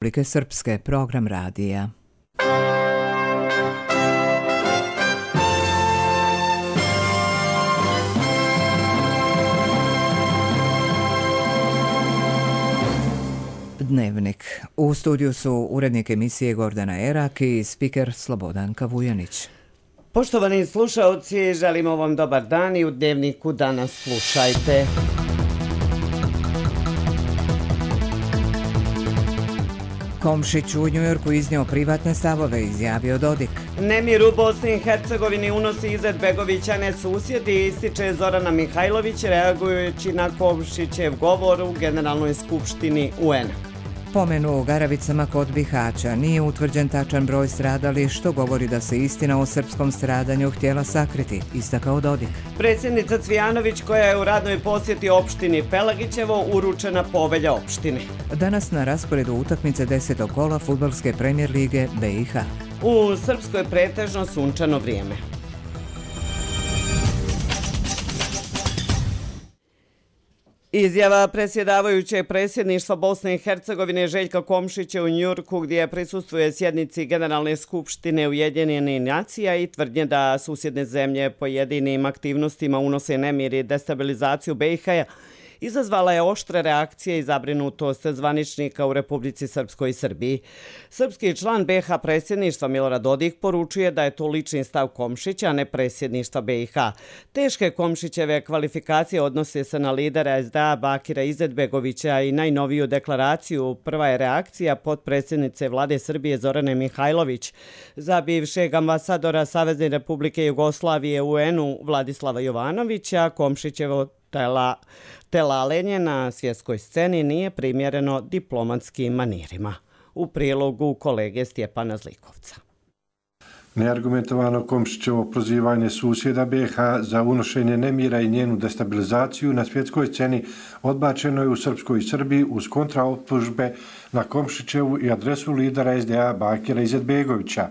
Republike Srpske, program radija. Dnevnik. U studiju su urednik emisije Gordana Erak i spiker Slobodanka Vujanić. Poštovani slušaoci, želimo vam dobar dan i u Dnevniku danas slušajte. Komšić u Njujorku iznio privatne stavove, izjavio Dodik. Nemir u Bosni i Hercegovini unosi Izetbegovića ne susjedi, ističe Zorana Mihajlović reagujući na Komšićev govor u Generalnoj skupštini UN-a. Pomenu u Garavicama kod Bihaća nije utvrđen tačan broj stradalih, što govori da se istina o srpskom stradanju htjela sakriti, istakao Dodik. Predsjednica Cvijanović, koja je u radnoj posjeti opštini Pelagićevo, uručena povelja opštine. Danas na rasporedu utakmice 10. kola fudbalske premijer lige BiH. U Srpskoj pretežno sunčano vrijeme. Izjava predsjedavajućeg predsjedništva Bosne i Hercegovine Željka Komšića u Njujorku, gdje prisustvuje sjednici Generalne skupštine Ujedinjenih nacija i tvrdnje da susjedne zemlje pojedinim aktivnostima unose nemir i destabilizaciju BiH-a, izazvala je oštre reakcije i zabrinutost zvaničnika u Republici Srpskoj i Srbiji. Srpski član BiH predsjedništva Milorad Dodik poručuje da je to lični stav Komšića, a ne predsjedništva BiH. Teške Komšićeve kvalifikacije odnose se na lidera SDA Bakira Izetbegovića i najnoviju deklaraciju. Prva je reakcija potpredsjednice vlade Srbije Zorane Mihajlović za bivšeg ambasadora Savezne Republike Jugoslavije u UN-u Vladislava Jovanovića. Komšićevo telalenje na svjetskoj sceni nije primjereno diplomatskim manirima. U prilogu kolege Stjepana Zlikovca. Neargumentovano Komšićevo prozivanje susjeda BiH za unošenje nemira i njenu destabilizaciju na svjetskoj sceni odbačeno je u Srpskoj i Srbiji uz kontraoptužbe na Komšićevu i adresu lidera SDA Bakira Izetbegovića.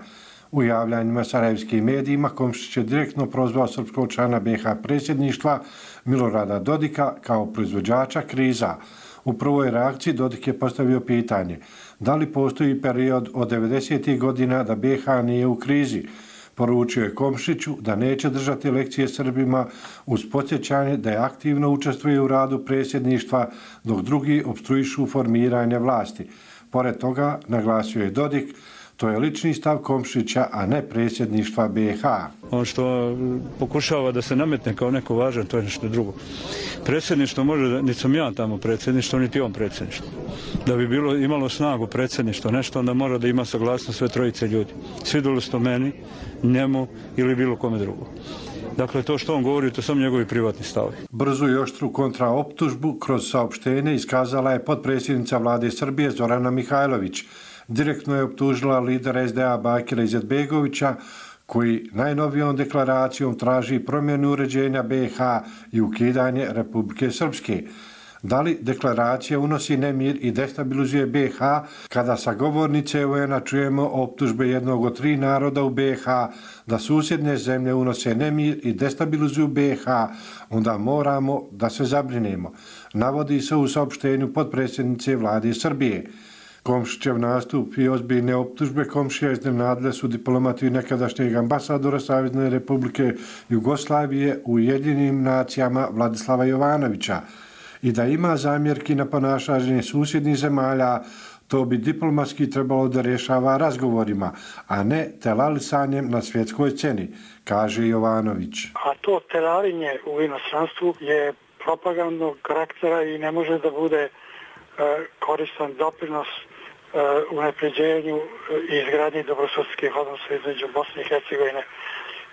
U javljanjima sarajevskim medijima Komšić je direktno prozvao srpskog člana BiH predsjedništva Milorada Dodika kao proizvođača kriza. U prvoj reakciji Dodik je postavio pitanje da li postoji period od 90. godina da BiH nije u krizi. Poručio je Komšiću da neće držati lekcije Srbima uz podsjećanje da je aktivno učestvuje u radu predsjedništva dok drugi opstruišu formiranje vlasti. Pored toga, naglasio je Dodik, to je lični stav Komšića, a ne predsjedništva BiH. On što pokušava da se nametne kao neko važan, to je nešto drugo. Predsjedništvo može, niti sam ja tamo predsjedništvo, niti on predsjedništvo. Da bi imalo snagu predsjedništvo, nešto, onda mora da ima saglasnost sve trojice ljudi. Svidjelo se to meni, njemu ili bilo kome drugo. Dakle, to što on govori, to su njegovi privatni stavovi. Brzu i oštru kontraoptužbu kroz saopštenje iskazala je potpredsjednica vlade Srbije Zorana Mihajlović. Direktno je optužila lidera SDA Bakira Izetbegovića, koji najnovijom deklaracijom traži promjenu uređenja BiH i ukidanje Republike Srpske. Da li deklaracija unosi nemir i destabilizuje BiH, kada sa govornice UN-a čujemo optužbe jednog od 3 naroda u BiH da susjedne zemlje unose nemir i destabilizuju BiH, onda moramo da se zabrinemo, navodi se u saopštenju potpredsjednice vlade Srbije. Komšićev nastup i ozbiljne optužbe Komšija iznenadile su diplomati nekadašnjeg ambasadora Savezne Republike Jugoslavije u Ujedinjenim nacijama Vladislava Jovanovića. I da ima zamjerki na ponašanje susjednih zemalja, to bi diplomatski trebalo da rješava razgovorima, a ne telalisanjem na svjetskoj sceni, kaže Jovanović. A to telalinje u inostranstvu je propagandnog karaktera i ne može da bude koristan doprinos unapređenju i izgradnji dobrosusjedskih odnosa između Bosne i Hercegovine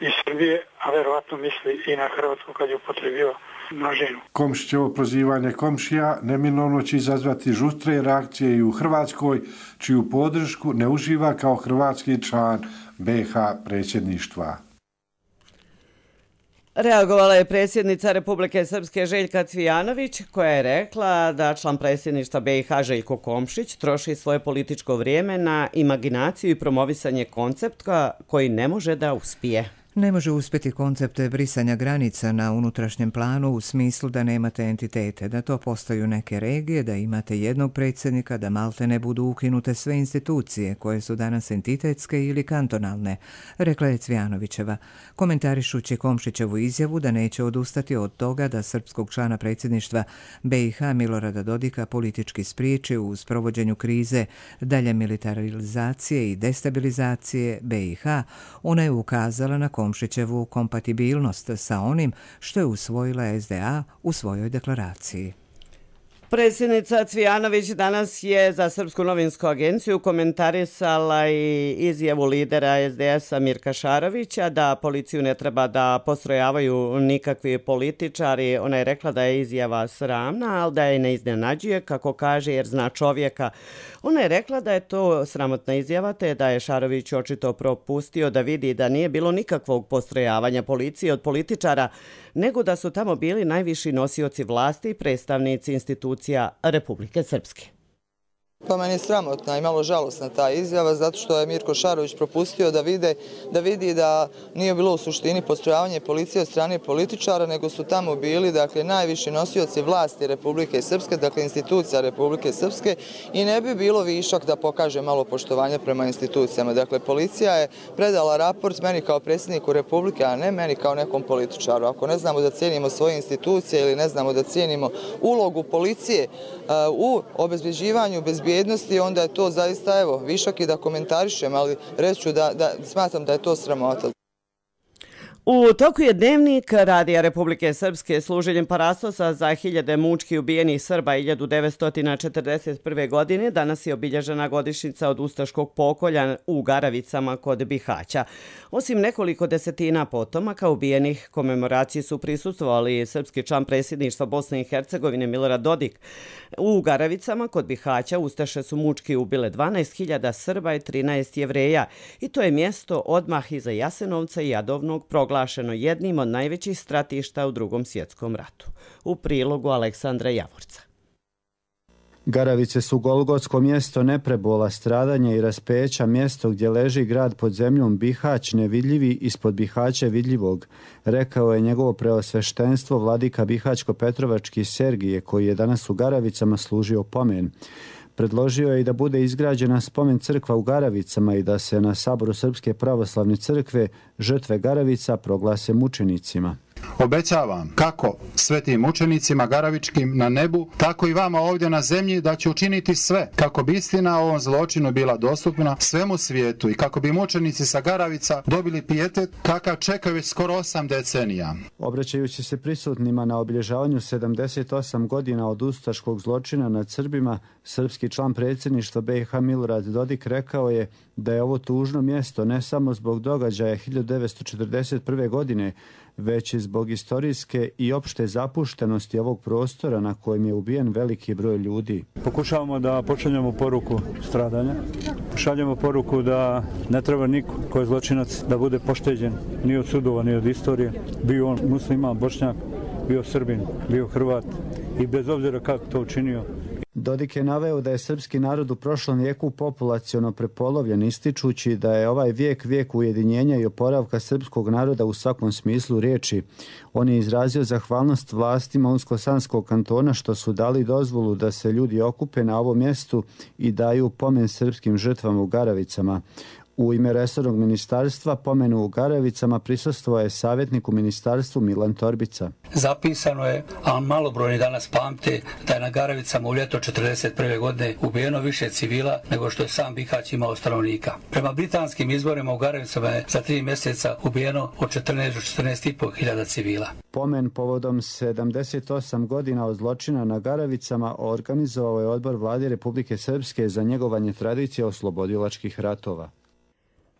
i Srbije, a verovatno misli i na Hrvatsku kad je upotrebio množinu. Komšićevo prozivanje Komšija neminovno će izazvati žustre reakcije i u Hrvatskoj, čiju podršku ne uživa kao hrvatski član BiH predsjedništva. Reagovala je predsjednica Republike Srpske Željka Cvijanović, koja je rekla da član predsjedništva BiH Željko Komšić troši svoje političko vrijeme na imaginaciju i promovisanje koncepta koji ne može da uspije. Ne može uspjeti koncept brisanja granica na unutrašnjem planu u smislu da nemate entitete, da to postaju neke regije, da imate jednog predsjednika, da malte ne budu ukinute sve institucije koje su danas entitetske ili kantonalne, rekla je Cvijanovićeva, komentarišući Komšićevu izjavu da neće odustati od toga da srpskog člana predsjedništva BiH Milorada Dodika politički spriječi u sprovođenju krize dalje militarizacije i destabilizacije BiH. Ona je ukazala na Komšićevu kompatibilnost sa onim što je usvojila SDA u svojoj deklaraciji. Predsjednica Cvijanović danas je za Srpsku novinsku agenciju komentarisala i izjavu lidera SDS-a Mirka Šarovića da policiju ne treba da postrojavaju nikakvi političari. Ona je rekla da je izjava sramna, ali da je ne iznenađuje, kako kaže, jer zna čovjeka. Ona je rekla da je to sramotna izjava, te da je Šarović očito propustio da vidi da nije bilo nikakvog postrojavanja policije od političara, nego da su tamo bili najviši nosioci vlasti i predstavnici institucija Republike Srpske. Pa meni je sramotna i malo žalosna ta izjava zato što je Mirko Šarović propustio da vidi da nije bilo u suštini postrojavanje policije od strane političara, nego su tamo bili najviši nosioci vlasti Republike Srpske, dakle institucija Republike Srpske, i ne bi bilo višak da pokaže malo poštovanja prema institucijama. Dakle, policija je predala raport meni kao predsjedniku Republike, a ne meni kao nekom političaru. Ako ne znamo da cijenimo svoje institucije ili ne znamo da cijenimo ulogu policije u obezbeđivanju bezbjednosti, onda je to zaista višak i da komentarišem, ali reći ću da smatram da je to sramota. U toku je dnevnik Radija Republike Srpske služenjem parastosa za hiljade mučki ubijenih Srba 1941. godine. Danas je obilježena godišnjica od ustaškog pokolja u Garavicama kod Bihaća. Osim nekoliko desetina potomaka ubijenih, komemoraciji su prisustvovali srpski član predsjedništva Bosne i Hercegovine Milorad Dodik. U Garavicama kod Bihaća ustaše su mučki ubile 12.000 Srba i 13 Jevreja, i to je mjesto odmah iza Jasenovca i Jadovnog proglašeno jednim od najvećih stratišta u Drugom svjetskom ratu. U prilogu Aleksandra Javorca. Garavice su golgotsko mjesto neprebola, stradanja i raspeća, mjesto gdje leži grad pod zemljom Bihać, nevidljivi ispod Bihaća vidljivog, rekao je njegovo preosveštenstvo vladika Bihaćko-Petrovački Sergije, koji je danas u Garavicama služio pomen. Predložio je i da bude izgrađena spomen crkva u Garavicama i da se na saboru Srpske pravoslavne crkve žrtve Garavica proglase mučenicima. Obećavam kako svetim mučenicima garavičkim na nebu, tako i vama ovdje na zemlji, da će učiniti sve kako bi istina o ovom zločinu bila dostupna svemu svijetu i kako bi mučenici sa Garavica dobili pijetet kakav čekaju već skoro 8 decenija. Obraćajući se prisutnima na obilježavanju 78 godina od ustaškog zločina nad Srbima, srpski član predsjedništva BiH Milorad Dodik rekao je da je ovo tužno mjesto ne samo zbog događaja 1941. godine, već i zbog istorijske i opšte zapuštenosti ovog prostora na kojem je ubijen veliki broj ljudi. Pokušavamo da pošaljemo poruku stradanja, pošaljemo poruku da ne treba niko ko je zločinac da bude pošteđen ni od sudova, ni od istorije. Bio on musliman, Bošnjak, bio Srbin, bio Hrvat i bez obzira kako to učinio. Dodik je naveo da je srpski narod u prošlom vijeku populaciono prepolovljen, ističući da je ovaj vijek ujedinjenja i oporavka srpskog naroda u svakom smislu riječi. On je izrazio zahvalnost vlastima Unsko-Sanskog kantona što su dali dozvolu da se ljudi okupe na ovom mjestu i daju pomen srpskim žrtvama u Garavicama. U ime resornog ministarstva pomenu u Garavicama prisustvovao je savjetnik u ministarstvu Milan Torbica. Zapisano je, a malobrojni danas pamte, da je na Garavicama u ljeto 1941. godine ubijeno više civila nego što je sam Bihać imao stanovnika. Prema britanskim izborima u Garavicama je za 3 mjeseca ubijeno od 14 do 14,5 hiljada civila. Pomen povodom 78 godina od zločina na Garavicama organizovao je odbor vlade Republike Srpske za njegovanje tradicije oslobodilačkih ratova.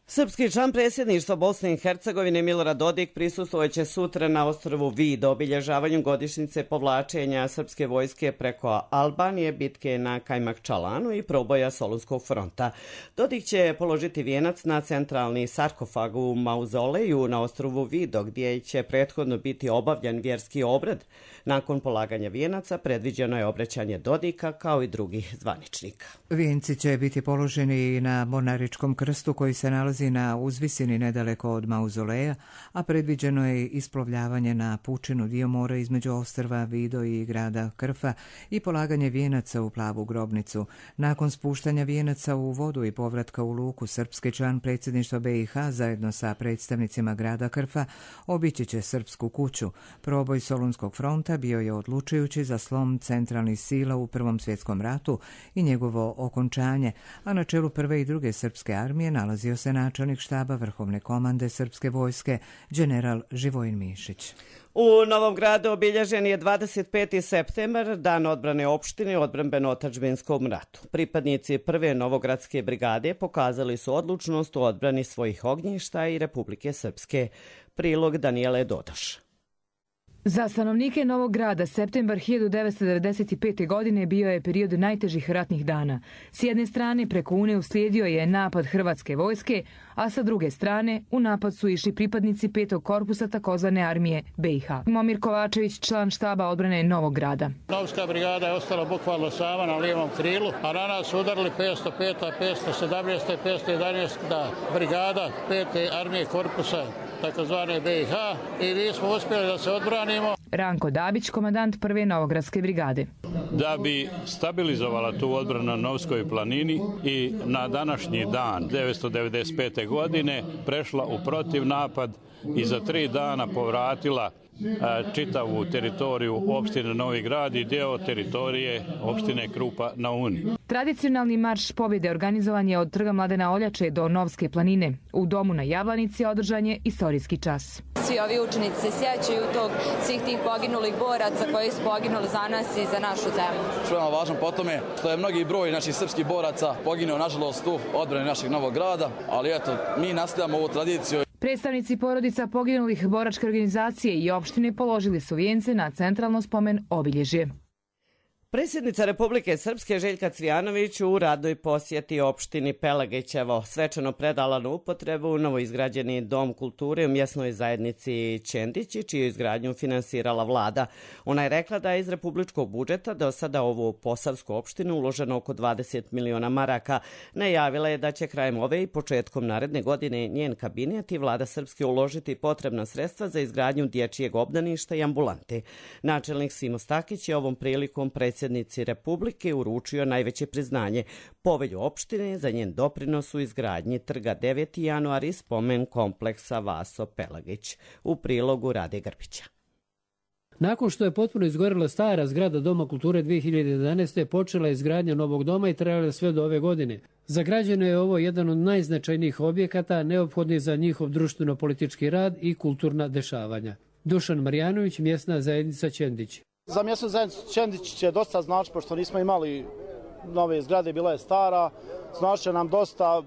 Srpski član predsjedništva Bosne i Hercegovine Milorad Dodik prisustvovat će sutra na ostrvu Vid obilježavanju godišnjice povlačenja srpske vojske preko Albanije, bitke na Kajmakčalanu i proboja Solunskog fronta. Dodik će položiti vijenac na centralni sarkofag u mauzoleju na ostrvu Vido, gdje će prethodno biti obavljan vjerski obred. Nakon polaganja vijenaca predviđeno je obraćanje Dodika kao i drugih zvaničnika. Vijenci će biti položeni na Mornaričkom krstu koji se nalazi nalazi na uzvisini nedaleko od mauzoleja, a predviđeno je isplovljavanje na pučinu dio mora između ostrva Vido i grada Krfa i polaganje vijenaca u plavu grobnicu. Nakon spuštanja vijenaca u vodu i povratka u luku, srpski član predsjedništva BiH zajedno sa predstavnicima grada Krfa obići će Srpsku kuću. Proboj Solunskog fronta bio je odlučujući za slom centralnih sila u Prvom svjetskom ratu i njegovo okončanje, a na čelu prve i druge srpske armije nalazio se načelnik štaba Vrhovne komande srpske vojske, general Živojin Mišić. U Novom Gradu obilježen je 25. septembar, dan odbrane opštine u odbrambeno-otadžbinskom ratu. Pripadnici prve Novogradske brigade pokazali su odlučnost u odbrani svojih ognjišta i Republike Srpske. Prilog Danijele Dodoš. Za stanovnike Novog Grada septembar 1995. godine bio je period najtežih ratnih dana. S jedne strane preko Une uslijedio je napad Hrvatske vojske, a sa druge strane u napad su išli pripadnici 5. korpusa takozvane armije BiH. Momir Kovačević, član štaba odbrane Novog Grada. Novska brigada je ostala bukvalno sama na lijevom krilu, a na nas su udarili 505. 517. 511. brigada 5. armije korpusa takozvane BiH i mi smo uspjeli da se odbranimo. Ranko Dabić, komandant prve Novogradske brigade. Da bi stabilizovala tu odbranu na Novskoj planini i na današnji dan 1995. godine prešla u protivnapad i za 3 dana povratila čitavu teritoriju opštine Novi Grad i deo teritorije opštine Krupa na Uni. Tradicionalni marš pobjede organizovan je od Trga Mladena Oljače do Novske planine. U domu na Jablanici održan je istorijski čas. Svi ovi učenici se sjećaju svih tih poginulih boraca koji su poginuli za nas i za našu zemlju. Što je nam važno po tome što je mnogi broj naših srpskih boraca poginuo nažalost u odbrani našeg Novog Grada, ali eto, mi nastavljamo ovu tradiciju. Predstavnici porodica poginulih boračke organizacije i opštine položili su vijence na centralno spomen obilježje. Predsjednica Republike Srpske Željka Cvijanović u radnoj posjeti opštini Pelagićevo svečano predala na upotrebu novoizgrađeni dom kulture u mjesnoj zajednici Čendići, čiju izgradnju finansirala vlada. Ona je rekla da je iz republičkog budžeta do sada ovu posavsku opštinu uloženo oko 20 miliona maraka. Najavila je da će krajem ove i početkom naredne godine njen kabinet i vlada Srpske uložiti potrebna sredstva za izgradnju dječjeg obdaništa i ambulante. Načelnik Simo Stakić je ovom prilikom predsjednici Republike uručio najveće priznanje, povelju opštine za njen doprinos u izgradnji trga 9. januar i spomen kompleksa Vaso Pelagić. U prilogu Rade Grbića. Nakon što je potpuno izgorela stara zgrada Doma kulture 2011. počela je izgradnja novog doma i trajala sve do ove godine. Za građane je ovo jedan od najznačajnijih objekata neophodnih za njihov društveno-politički rad i kulturna dešavanja. Dušan Marjanović, mjesna zajednica Čendić. Za mjesnu zajednicu Čendić će dosta znači, pošto nismo imali nove zgrade, bila je stara, znači nam dosta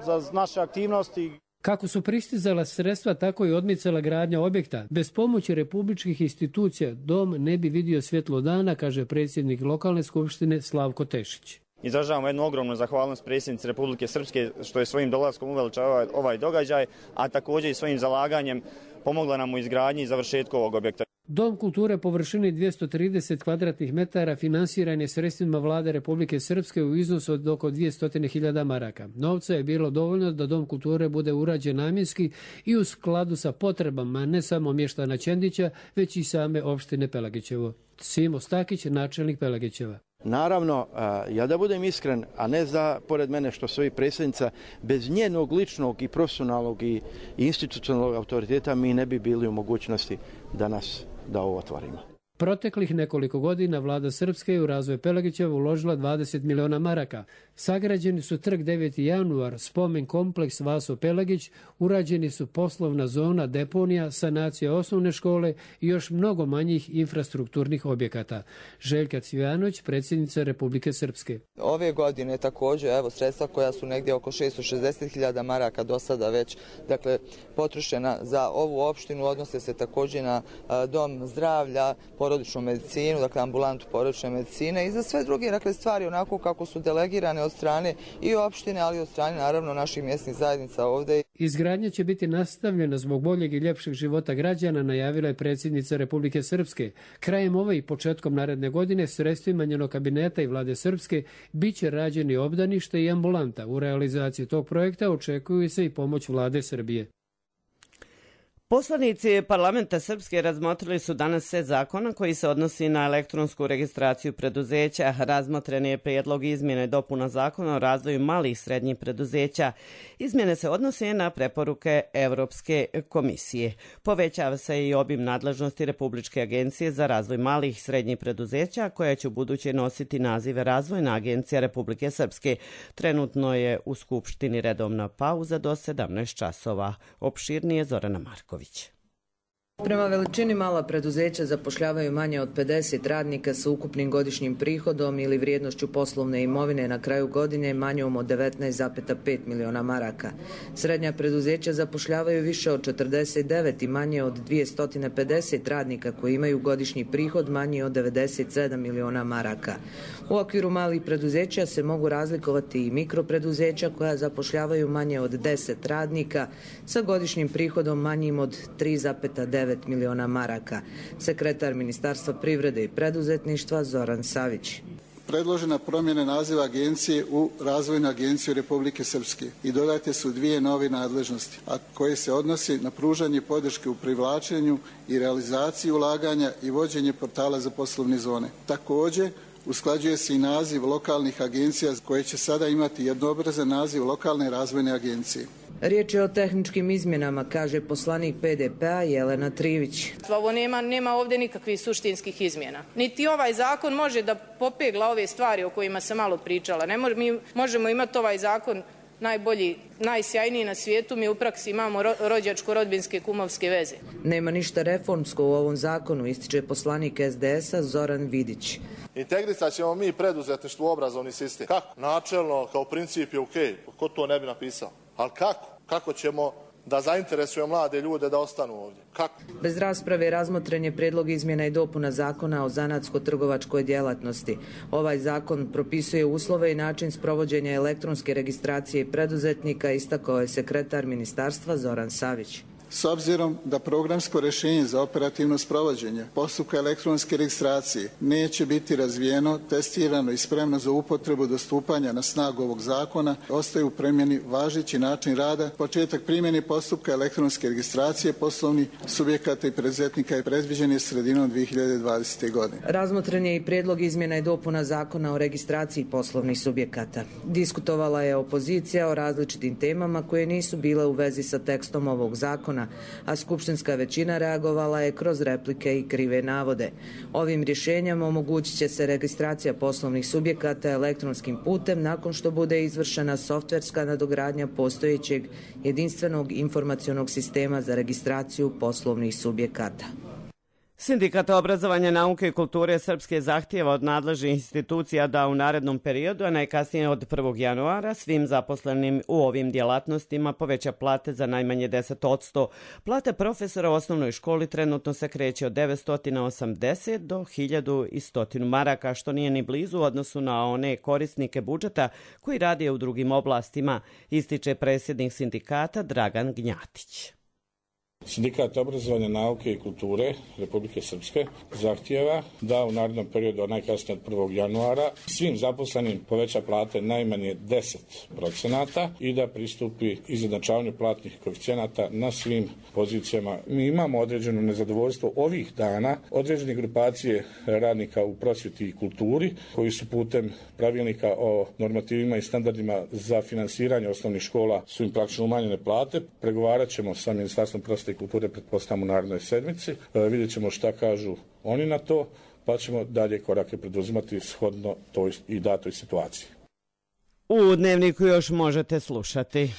za naše aktivnosti. Kako su pristizala sredstva, tako i odmicala gradnja objekta. Bez pomoći republičkih institucija dom ne bi vidio svjetlo dana, kaže predsjednik lokalne skupštine Slavko Tešić. Izražavamo jednu ogromnu zahvalnost predsjednici Republike Srpske što je svojim dolaskom uveličava ovaj događaj, a također i svojim zalaganjem pomogla nam u izgradnji i završetku ovog objekta. Dom kulture površine 230 kvadratnih metara finansiran je sredstvima vlade Republike Srpske u iznosu od oko 200.000 maraka. Novca je bilo dovoljno da Dom kulture bude urađen namjenski i u skladu sa potrebama ne samo mještana Čendića, već i same opštine Pelagićevo. Simo Stakić, načelnik Pelagićeva. Naravno, ja da budem iskren, a ne da pored mene što stoji predsjednica, bez njenog ličnog i profesionalnog i institucionalnog autoriteta mi ne bi bili u mogućnosti danas da ovo otvorimo. Proteklih nekoliko godina vlada Srpske u razvoj Pelagićeva uložila 20 miliona maraka. Sagrađeni su trg 9. januar, spomen kompleks Vaso Pelagić, urađeni su poslovna zona, deponija, sanacija osnovne škole i još mnogo manjih infrastrukturnih objekata. Željka Cvijanović, predsjednica Republike Srpske. Ove godine također, evo, sredstva koja su negdje oko 660.000 maraka do sada već, dakle, potrošena za ovu opštinu, odnose se također na dom zdravlja, porodičnu medicinu, dakle ambulantu porodične medicine i za sve druge, dakle, stvari onako kako su delegirane od strane i opštine, ali i od strane naravno naših mjesnih zajednica ovdje. Izgradnja će biti nastavljena zbog boljeg i ljepšeg života građana, najavila je predsjednica Republike Srpske. Krajem ove i početkom naredne godine sredstvima njenog kabineta i vlade Srpske biće rađeni obdanište i ambulanta. U realizaciji tog projekta očekuju se i pomoć vlade Srbije. Poslanici parlamenta Srpske razmotrili su danas set zakona koji se odnosi na elektronsku registraciju preduzeća. Razmotren je prijedlog izmjene i dopuna zakona o razvoju malih i srednjih preduzeća. Izmjene se odnose na preporuke Evropske komisije. Povećava se i obim nadležnosti Republičke agencije za razvoj malih i srednjih preduzeća, koja će u buduće nositi nazive Razvojna agencija Republike Srpske. Trenutno je u Skupštini redovna pauza do 17 časova. Opširnije Zorana Marković. Prema veličini mala preduzeća zapošljavaju manje od 50 radnika sa ukupnim godišnjim prihodom ili vrijednošću poslovne imovine na kraju godine manjom od 19,5 miliona maraka. Srednja preduzeća zapošljavaju više od 49 i manje od 250 radnika koji imaju godišnji prihod manji od 97 miliona maraka. U okviru malih preduzeća se mogu razlikovati i mikropreduzeća koja zapošljavaju manje od 10 radnika sa godišnjim prihodom manjim od 3,9 miliona maraka. Sekretar Ministarstva privrede i preduzetništva Zoran Savić. Predložena promjena naziva agencije u Razvojnu agenciju Republike Srpske i dodate su dvije nove nadležnosti, a koje se odnosi na pružanje podrške u privlačenju i realizaciji ulaganja i vođenje portala za poslovne zone. Također, usklađuje se i naziv lokalnih agencija koje će sada imati jednoobrazan naziv lokalne razvojne agencije. Riječ je o tehničkim izmjenama, kaže poslanik PDP-a Jelena Trivić. Ovo nema ovdje nikakvih suštinskih izmjena. Niti ovaj zakon može da popegla ove stvari o kojima sam malo pričala. Mi možemo imati ovaj zakon najbolji, najsjajniji na svijetu, mi u praksi imamo rođačko-rodbinske kumovske veze. Nema ništa reformsko u ovom zakonu, ističe poslanik SDS-a Zoran Vidić. Integrisat ćemo mi preduzetništvo u obrazovni sistem. Kako? Načelno, kao princip je okej. Ko to ne bi napisao? Ali kako? Kako ćemo da zainteresujemo mlade ljude da ostanu ovdje? Kako? Bez rasprave razmotren je predlog izmjena i dopuna zakona o zanatsko-trgovačkoj djelatnosti. Ovaj zakon propisuje uslove i način sprovođenja elektronske registracije preduzetnika, istakao je sekretar ministarstva Zoran Savić. S obzirom da programsko rješenje za operativno sprovođenje postupka elektronske registracije neće biti razvijeno, testirano i spremno za upotrebu do stupanja na snagu ovog zakona, ostaje u primjeni važeći način rada. Početak primjene postupka elektronske registracije poslovnih subjekata i preduzetnika je predviđen sredinom 2020. godine. Razmotren je i prijedlog izmjena i dopuna zakona o registraciji poslovnih subjekata. Diskutovala je opozicija o različitim temama koje nisu bile u vezi sa tekstom ovog zakona, a skupštinska većina reagovala je kroz replike i krive navode. Ovim rješenjem omogućit će se registracija poslovnih subjekata elektronskim putem nakon što bude izvršena softverska nadogradnja postojećeg jedinstvenog informacionog sistema za registraciju poslovnih subjekata. Sindikat obrazovanja, nauke i kulture Srpske zahtijeva od nadležnih institucija da u narednom periodu, a najkasnije od 1. januara, svim zaposlenim u ovim djelatnostima poveća plate za najmanje 10%. Plate profesora u osnovnoj školi trenutno se kreće od 980 do 1100 maraka, što nije ni blizu u odnosu na one korisnike budžeta koji rade u drugim oblastima, ističe predsjednik sindikata Dragan Gnjatić. Sindikat obrazovanja, nauke i kulture Republike Srpske zahtijeva da u narednom periodu, najkasnije od 1. januara, svim zaposlenim poveća plate najmanje 10% i da pristupi izjednačavanju platnih koeficijenata na svim pozicijama. Mi imamo određeno nezadovoljstvo ovih dana, određene grupacije radnika u prosvjeti i kulturi koji su putem pravilnika o normativima i standardima za finansiranje osnovnih škola su im praktično umanjene plate. Pregovarat ćemo sa Ministarstvom prosvjete i kulture, pretpostavljamo u narednoj sedmici. Vidjet ćemo šta kažu oni na to, pa ćemo dalje korake preduzimati shodno toj i datoj situaciji. U Dnevniku još možete slušati.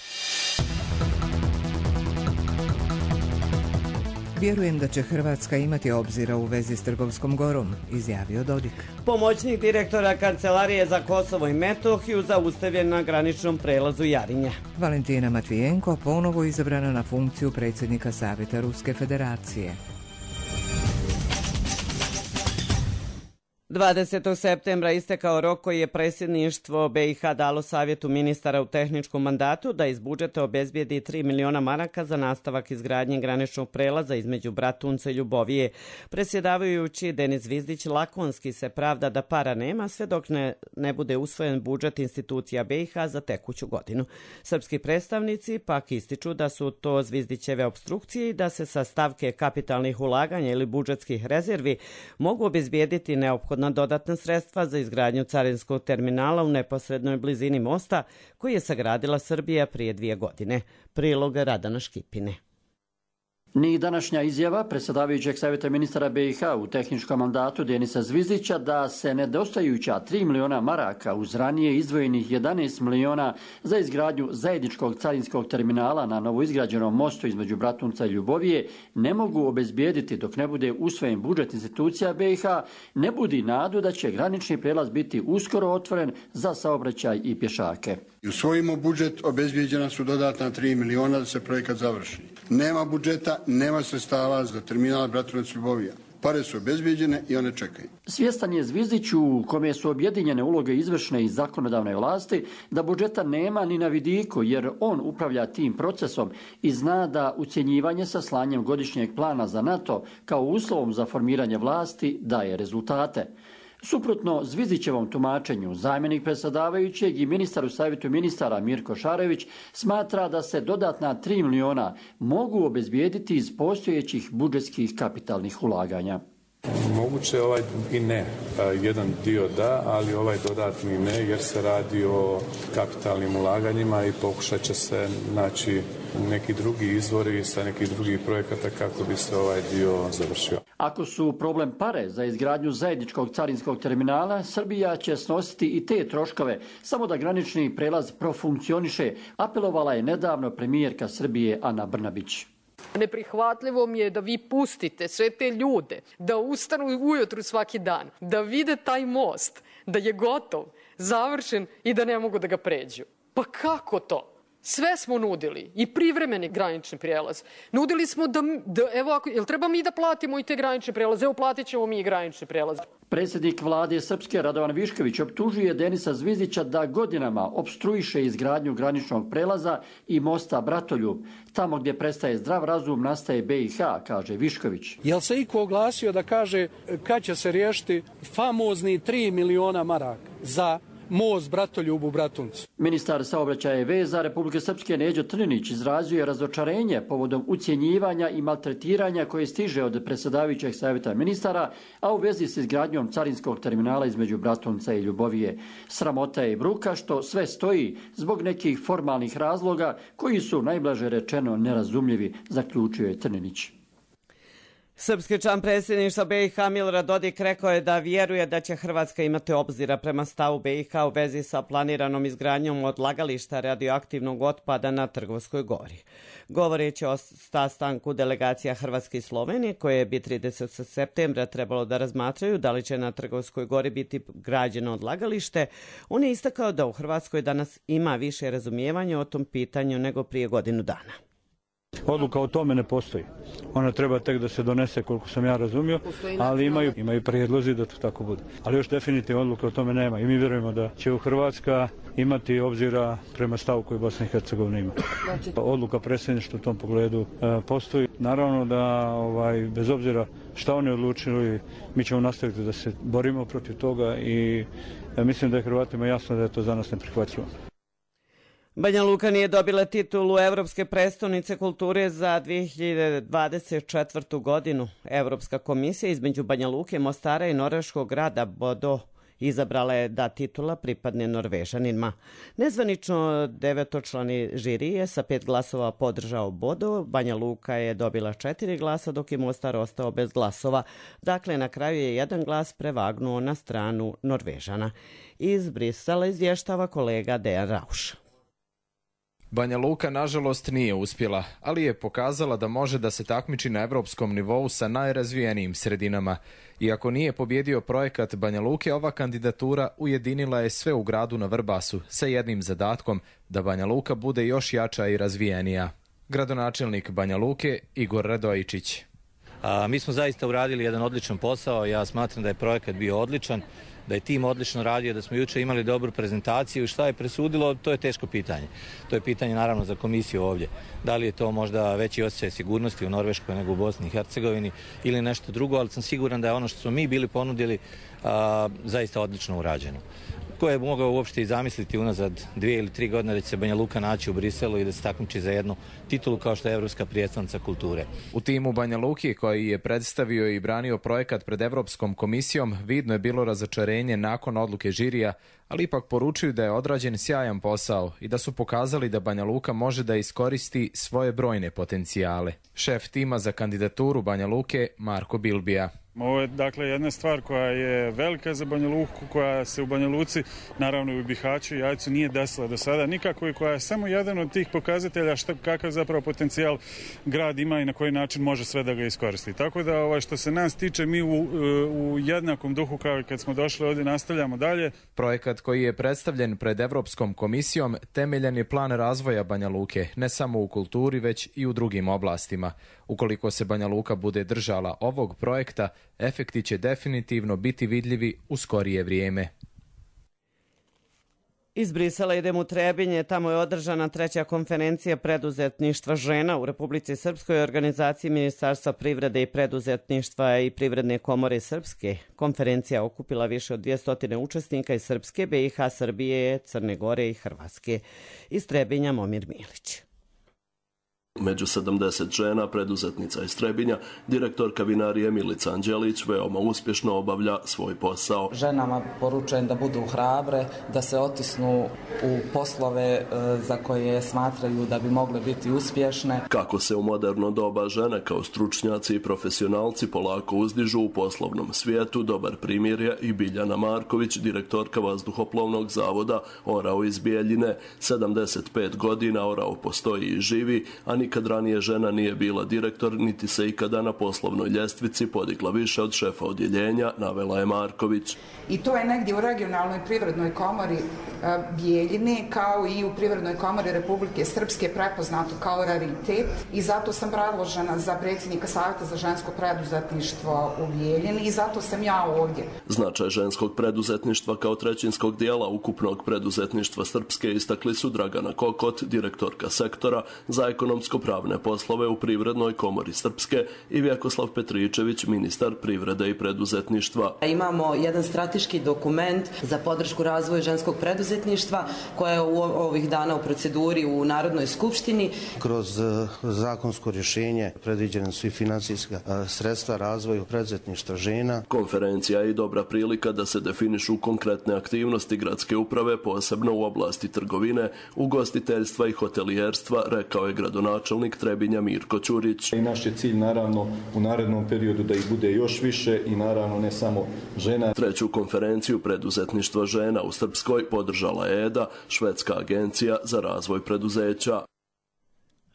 Vjerujem da će Hrvatska imati obzira u vezi s Trgovskom gorom, izjavio Dodik. Pomoćnik direktora Kancelarije za Kosovo i Metohiju zaustavljen na graničnom prelazu Jarinje. Valentina Matvijenko ponovo izabrana na funkciju predsjednika Savjeta Ruske federacije. 20. septembra istekao rok koji je predsjedništvo BiH dalo Savjetu ministara u tehničkom mandatu da iz budžeta obezbijedi 3 miliona maraka za nastavak izgradnje graničnog prelaza između Bratunca i Ljubovije. Predsjedavajući Denis Zvizdić lakonski se pravda da para nema sve dok ne bude usvojen budžet institucija BiH za tekuću godinu. Srpski predstavnici pak ističu da su to Zvizdićeve opstrukcije i da se sa stavke kapitalnih ulaganja ili budžetskih rezervi mogu obezbijediti neophodna dodatna sredstva za izgradnju carinskog terminala u neposrednoj blizini mosta koji je sagradila Srbija prije 2 godine. Prilog Radana Škipine. Ni današnja izjava predsjedavajućeg Savjeta ministara BiH u tehničkom mandatu Denisa Zvizdića da se nedostajuća 3 miliona maraka uz ranije izdvojenih 11 miliona za izgradnju zajedničkog carinskog terminala na novoizgrađenom mostu između Bratunca i Ljubovije ne mogu obezbijediti dok ne bude usvojen budžet institucija BiH, ne budi nadu da će granični prijelaz biti uskoro otvoren za saobraćaj i pješake. Usvojimo budžet, obezbijeđena su dodatna 3 miliona da se projekat završi. Nema budžeta, nema sredstava za terminal Bratunac-Ljubovija. Pare su obezbijeđene i one čekaju. Svjestan je Zvizdić u kome su objedinjene uloge izvršne i zakonodavne vlasti da budžeta nema ni na vidiku jer on upravlja tim procesom i zna da ucjenjivanje sa slanjem godišnjeg plana za NATO kao uslovom za formiranje vlasti daje rezultate. Suprotno Zvizdićevom tumačenju, zamjenik predsjedavajućeg i ministar u Savjetu ministara Mirko Šarević smatra da se dodatna 3 miliona mogu obezbijediti iz postojećih budžetskih kapitalnih ulaganja. Moguće i ne. Jedan dio da, ali ovaj dodatni ne jer se radi o kapitalnim ulaganjima i pokušat će se naći neki drugi izvori sa nekih drugih projekata kako bi se ovaj dio završio. Ako su problem pare za izgradnju zajedničkog carinskog terminala, Srbija će snositi i te troškove, samo da granični prelaz profunkcioniše, apelovala je nedavno premijerka Srbije Ana Brnabić. Neprihvatljivo mi je da vi pustite sve te ljude da ustanu ujutru svaki dan, da vide taj most, da je gotov, završen i da ne mogu da ga pređu. Pa kako to? Sve smo nudili i privremeni granični prijelaz. Nudili smo jel treba mi da platimo i te granične prelaze? Evo platit ćemo mi i granični prijelaz. Predsjednik vlade Srpske Radovan Višković optužuje Denisa Zvizdića da godinama opstruiše izgradnju graničnog prelaza i mosta Bratoljub. Tamo gdje prestaje zdrav razum nastaje BiH, kaže Višković. Jel se iko oglasio da kaže kad će se riješiti famozni 3 miliona maraka za most Bratoljub u Bratuncu? Ministar saobraćaja i veza Republike Srpske Neđo Trninić izrazio je razočarenje povodom ucjenjivanja i maltretiranja koje stiže od predsjedavajućeg Savjeta ministara, a u vezi s izgradnjom carinskog terminala između Bratunca i Ljubovije. Sramota je i bruka što sve stoji zbog nekih formalnih razloga koji su najblaže rečeno nerazumljivi, zaključio je Trninić. Srpski član predsjedništva BiH Milorad Dodik rekao je da vjeruje da će Hrvatska imati obzira prema stavu BiH u vezi sa planiranom izgradnjom odlagališta radioaktivnog otpada na Trgovskoj gori. Govoreći o sastanku delegacija Hrvatske i Slovenije, koje bi 30. septembra trebalo da razmatraju da li će na Trgovskoj gori biti građeno odlagalište, on je istakao da u Hrvatskoj danas ima više razumijevanja o tom pitanju nego prije godinu dana. Odluka o tome ne postoji. Ona treba tek da se donese, koliko sam ja razumio, ali imaju prijedlozi da to tako bude. Ali još definitivno odluka o tome nema i mi vjerujemo da će u Hrvatska imati obzira prema stavu koji Bosna i Hercegovina ima. Odluka predsjedništva u tom pogledu postoji. Naravno da bez obzira šta oni odlučili, mi ćemo nastaviti da se borimo protiv toga i mislim da je Hrvatima jasno da je to za nas neprihvatljivo. Banja Luka nije dobila titulu Evropske prestonice kulture za 2024. godinu. Evropska komisija između Banja Luke, Mostara i norveškog grada Bodo izabrala je da titula pripadne Norvežanima. Nezvanično 9-člani žiri je sa 5 glasova podržao Bodo, Banja Luka je dobila 4 glasa dok je Mostar ostao bez glasova. Dakle, na kraju je 1 glas prevagnuo na stranu Norvežana. Iz Brisela izvještava kolega Dejan Rauš. Banja Luka nažalost nije uspjela, ali je pokazala da može da se takmiči na evropskom nivou sa najrazvijenijim sredinama. Iako nije pobjedio projekat Banja Luke, ova kandidatura ujedinila je sve u gradu na Vrbasu sa jednim zadatkom da Banja Luka bude još jača i razvijenija. Gradonačelnik Banja Luke Igor Radojičić. Mi smo zaista uradili jedan odličan posao, ja smatram da je projekat bio odličan, da je tim odlično radio, da smo juče imali dobru prezentaciju. Šta je presudilo, to je teško pitanje. To je pitanje naravno za komisiju ovdje. Da li je to možda veći osjećaj sigurnosti u Norveškoj nego u Bosni i Hercegovini ili nešto drugo, ali sam siguran da je ono što smo mi bili ponudili zaista odlično urađeno. Ko je mogao uopšte i zamisliti unazad 2 ili 3 godine da će se Banja Luka naći u Briselu i da se takmiči za jednu titulu kao što je Evropska prijestolnica kulture. U timu Banja Luki, koji je predstavio i branio projekat pred Evropskom komisijom, vidno je bilo razočarenje nakon odluke žirija, ali ipak poručuju da je odrađen sjajan posao i da su pokazali da Banja Luka može da iskoristi svoje brojne potencijale. Šef tima za kandidaturu Banja Luke, Marko Bilbija. Ovo je dakle jedna stvar koja je velika za Banja Luku, koja se u Banja Luci, naravno i u Bihaću i Jajcu nije desila do sada nikako i koja je samo jedan od tih pokazatelja kakav zapravo potencijal grad ima i na koji način može sve da ga iskoristi. Tako da što se nas tiče, mi u jednakom duhu kao i kad smo došli ovdje nastavljamo dalje. Projekat koji je predstavljen pred Evropskom komisijom temeljan je plan razvoja Banja Luke, ne samo u kulturi već i u drugim oblastima. Ukoliko se Banja Luka bude držala ovog projekta, efekti će definitivno biti vidljivi u skorije vrijeme. Iz Brisela idemo u Trebinje, tamo je održana 3. konferencija preduzetništva žena u Republici Srpskoj, organizaciji Ministarstva privrede i preduzetništva i Privredne komore Srpske. Konferencija okupila više od 200 učesnika iz Srpske, BiH, Srbije, Crne Gore i Hrvatske. Iz Trebinja Momir Milić. Među 70 žena preduzetnica iz Trebinja, direktorka vinarije Milica Anđelić veoma uspješno obavlja svoj posao. Ženama poručujem da budu hrabre, da se otisnu u poslove za koje smatraju da bi mogle biti uspješne. Kako se u moderno doba žene kao stručnjaci i profesionalci polako uzdižu u poslovnom svijetu, dobar primjer je i Biljana Marković, direktorka vazduhoplovnog zavoda Orao iz Bijeljine. 75 godina Orao postoji i živi, a nikad ranije žena nije bila direktor, niti se ikada na poslovnoj ljestvici podigla više od šefa odjeljenja, navela je Marković. I to je negdje u regionalnoj privrednoj komori Bijeljine, kao i u Privrednoj komori Republike Srpske prepoznato kao raritet i zato sam predložena za predsjednika Savjeta za žensko preduzetništvo u Bijeljini i zato sam ja ovdje. Značaj ženskog preduzetništva kao trećinskog dijela ukupnog preduzetništva Srpske istakli su Dragana Kokot, direktorka sektora za ekonomsko-pravne poslove u Privrednoj komori Srpske i Vjekoslav Petričević, ministar privrede i preduzetništva. Imamo jedan strateški dokument za podršku razvoju ženskog preduzetništva koja je u ovih dana u proceduri u Narodnoj skupštini. Kroz zakonsko rješenje predviđene su i financijska sredstva razvoju preduzetništva žena. Konferencija je i dobra prilika da se definišu konkretne aktivnosti gradske uprave, posebno u oblasti trgovine, ugostiteljstva i hotelijerstva, rekao je gradonačelnik Trebinja Mirko Ćurić. I naš je cilj naravno u narednom periodu da ih bude još više i naravno ne samo žena. 3. konferenciju preduzetništva žena u Srpskoj podržala je EDA, švedska agencija za razvoj preduzeća.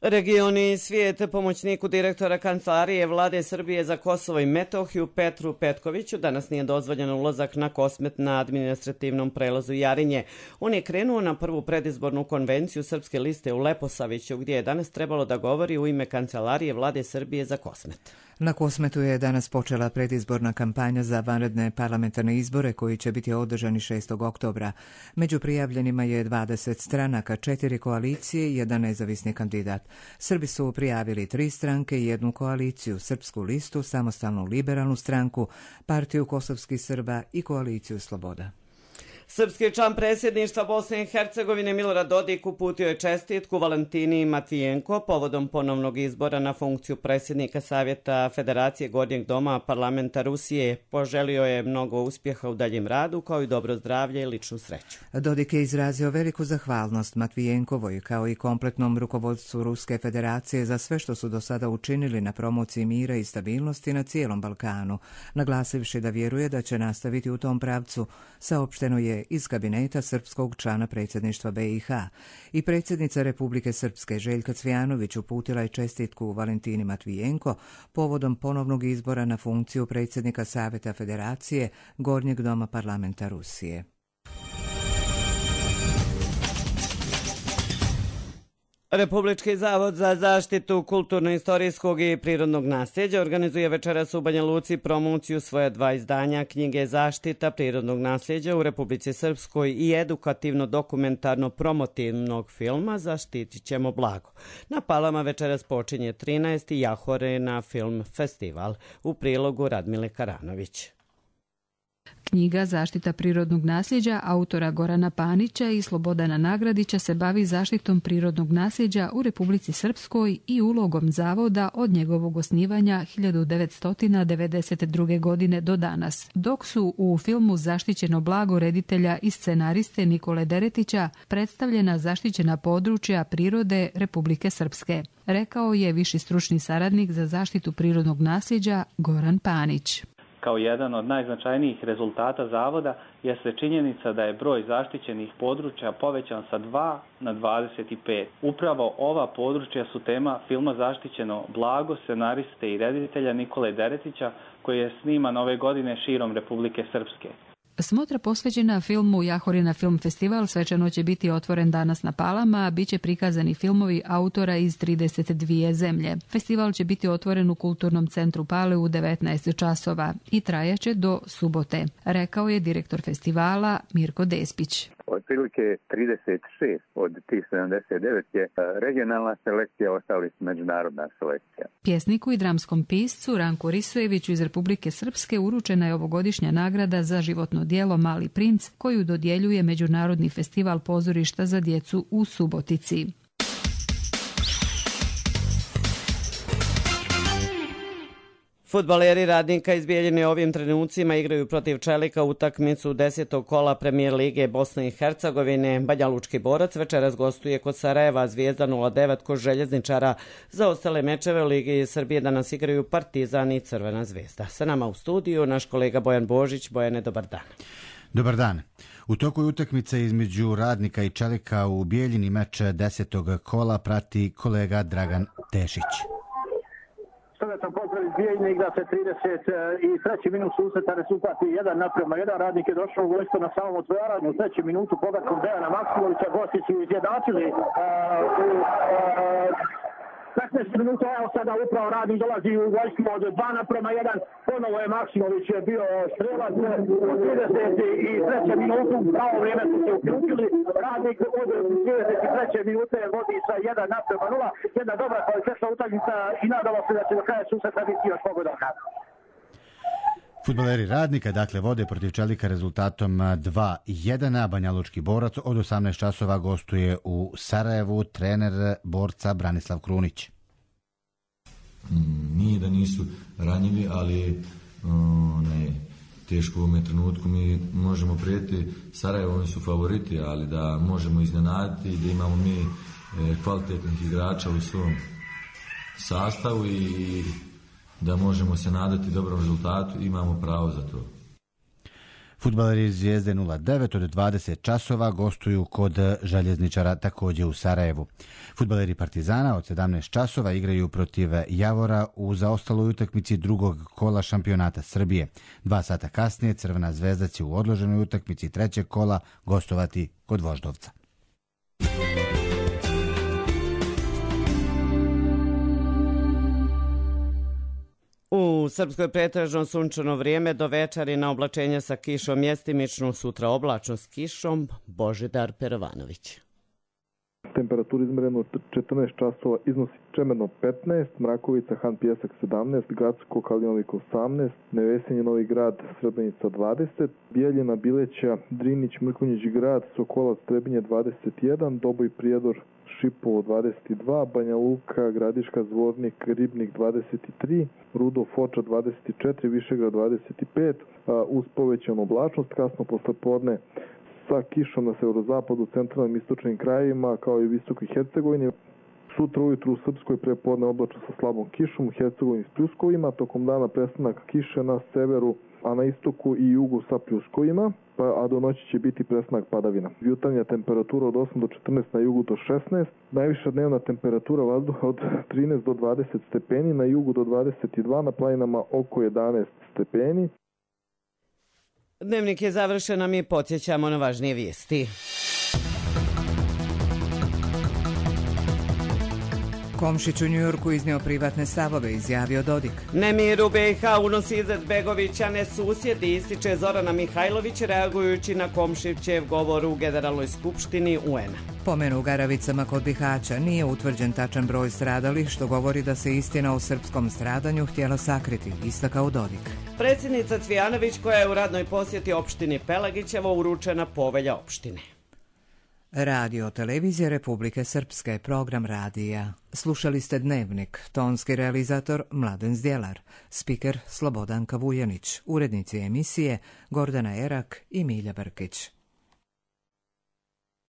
Regioni svijet pomoćniku direktora Kancelarije Vlade Srbije za Kosovo i Metohiju Petru Petkoviću danas nije dozvoljen ulazak na Kosmet na administrativnom prelazu Jarinje. On je krenuo na prvu predizbornu konvenciju Srpske liste u Leposaviću gdje je danas trebalo da govori u ime Kancelarije Vlade Srbije za Kosmet. Na Kosmetu je danas počela predizborna kampanja za vanredne parlamentarne izbore koji će biti održani 6. oktobra. Među prijavljenima je 20 stranaka, 4 koalicije i 1 nezavisni kandidat. Srbi su prijavili 3 stranke i 1 koaliciju, Srpsku listu, Samostalnu liberalnu stranku, Partiju kosovskih Srba i koaliciju Sloboda. Srpski član predsjedništva Bosne i Hercegovine Milorad Dodik uputio je čestitku Valentini Matvijenko povodom ponovnog izbora na funkciju predsjednika Savjeta Federacije Gornjeg doma parlamenta Rusije. Poželio je mnogo uspjeha u daljem radu kao i dobro zdravlje i ličnu sreću. Dodik je izrazio veliku zahvalnost Matvijenkovoj kao i kompletnom rukovodstvu Ruske federacije za sve što su do sada učinili na promociji mira i stabilnosti na cijelom Balkanu, naglasivši da vjeruje da će nastaviti u tom pravcu, saopšteno je iz kabineta srpskog člana predsjedništva BiH. I predsjednica Republike Srpske Željka Cvijanović uputila je čestitku Valentini Matvijenko povodom ponovnog izbora na funkciju predsjednika Savjeta Federacije Gornjeg doma parlamenta Rusije. Republički zavod za zaštitu kulturno-istorijskog i prirodnog nasljeđa organizuje večeras u Banja Luci promociju svoja 2 izdanja knjige Zaštita prirodnog nasljeđa u Republici Srpskoj i edukativno-dokumentarno-promotivnog filma Zaštitit ćemo blago. Na Palama večeras počinje 13. Jahorina film festival. U prilogu Radmile Karanović. Knjiga Zaštita prirodnog nasljeđa autora Gorana Panića i Slobodana Nagradića se bavi zaštitom prirodnog nasljeđa u Republici Srpskoj i ulogom zavoda od njegovog osnivanja 1992. godine do danas, dok su u filmu Zaštićeno blago reditelja i scenariste Nikole Deretića predstavljena zaštićena područja prirode Republike Srpske, rekao je viši stručni saradnik za zaštitu prirodnog nasljeđa Goran Panić. Kao jedan od najznačajnijih rezultata zavoda jeste činjenica da je broj zaštićenih područja povećan sa 2 na 25. Upravo ova područja su tema filma Zaštićeno blago scenariste i reditelja Nikole Deretića, koji je sniman ove godine širom Republike Srpske. Smotra posvećena filmu Jahorina film festival svečano će biti otvoren danas na Palama, a bit će prikazani filmovi autora iz 32 zemlje. Festival će biti otvoren u Kulturnom centru Pale u 19 časova i trajaće do subote, rekao je direktor festivala Mirko Despić. Otprilike 36 od tih 79 je regionalna selekcija, ostali su međunarodna selekcija. Pjesniku i dramskom piscu Ranku Risojeviću iz Republike Srpske uručena je ovogodišnja nagrada za životno djelo Mali princ, koju dodjeljuje Međunarodni festival pozorišta za djecu u Subotici. Fudbaleri Radnika iz Bijeljine ovim trenucima igraju protiv Čelika utakmicu 10. kola Premijer Lige Bosne i Hercegovine. Banja Lučki Borac večeras gostuje kod Sarajeva, Zvijezda 09 kod Željezničara. Za ostale mečeve Lige Srbije danas igraju Partizan i Crvena Zvezda. Sa nama u studiju naš kolega Bojan Božić. Bojane, dobar dan. Dobar dan. U toku utakmice između Radnika i Čelika u Bijeljini meč 10. kola prati kolega Dragan Tešić. Sovjetan pozdrav iz Bijeljine, igra se 33. minut susreta, rezultat je 1:1. Radnik je došao u vojstvo na samom otvaranju u 3. minutu pogatkom Dejana Maksimovića. Gosti su izjednačili u 15 minuta, evo sada upravo Radnik dolazi u vojstvo od 2:1. Ponovo je Maksimović bio strelac u 33. minutu, pravo vrijeme su se uključili. Radnik od 33. minute vodi sa 1:0. Jedna dobra kvalitetna utakmica i nadamo se da će do kraja susreta biti još pogodan. Fudbaleri Radnika dakle vode protiv Čelika rezultatom 2:1. Banja Lučki Borac od 18 časova gostuje u Sarajevu, trener Borca Branislav Krunić. Nije da nisu ranjivi, ali teško u ovome trenutku mi možemo prijeti Sarajevo, oni su favoriti, ali da možemo iznenaditi, da imamo mi kvalitetnih igrača u svom sastavu i da možemo se nadati dobrom rezultatu, imamo pravo za to. Fudbaleri Zvijezde 09 od 20 časova gostuju kod Željezničara također u Sarajevu. Fudbaleri Partizana od 17 časova igraju protiv Javora u zaostaloj utakmici drugog kola šampionata Srbije. 2 sata kasnije Crvena Zvezda će u odloženoj utakmici trećeg kola gostovati kod Voždovca. U Srpskoj pretežno sunčano vrijeme, do večeri na oblačenje sa kišom, mjestimično, sutra oblačno s kišom. Božidar Perovanović. Temperatura izmerena 14 časova iznosi Čemerno 15, Mrakovica, Han Pjesak 17, Gracko Kalinović 18, Nevesinje Novi Grad, Srebrenica 20, Bijeljina, Bileća, Drinić, Mrkonjić Grad, Sokolac, Trebinje 21, Doboj, Prijedor, Šipovo 22, Banja Luka, Gradiška, Zvornik, Ribnik 23, Rudo, Foča 24, Višegrad 25, uz povećanu oblačnost, kasno poslepodne sa kišom na severozapadu, centralnim istočnim krajevima, kao i Visokoj Hercegovini. Sutra ujutru u Srpskoj prepodne oblačno sa slabom kišom, u Hercegovini s pljuskovima, tokom dana prestanak kiše na severu, a na istoku i jugu sa pljuskovima, a do noći će biti prestanak padavina. Jutarnja temperatura od 8 do 14, na jugu do 16, najviša dnevna temperatura vazduha od 13 do 20 stepeni, na jugu do 22, na planinama oko 11 stepeni. Dnevnik je završen, a mi podsjećamo na važnije vijesti. Komšić u Njujorku iznio privatne stavove, izjavio Dodik. Nemir u BiH unosi Izetbegović, a ne susjedi, ističe Zorana Mihajlović reagujući na Komšićev govor u Generalnoj skupštini UN-a. Pomenu u Garavicama kod Bihaća nije utvrđen tačan broj stradalih, što govori da se istina o srpskom stradanju htjela sakriti, istakao Dodik. Predsjednica Cvijanović, koja je u radnoj posjeti opštini Pelagićevo, uručena povelja opštine. Radio Televizije Republike Srpske, program radija. Slušali ste Dnevnik, tonski realizator Mladen Zdjelar, spiker Slobodanka Vujanić, urednici emisije Gordana Erak i Milja Brkić.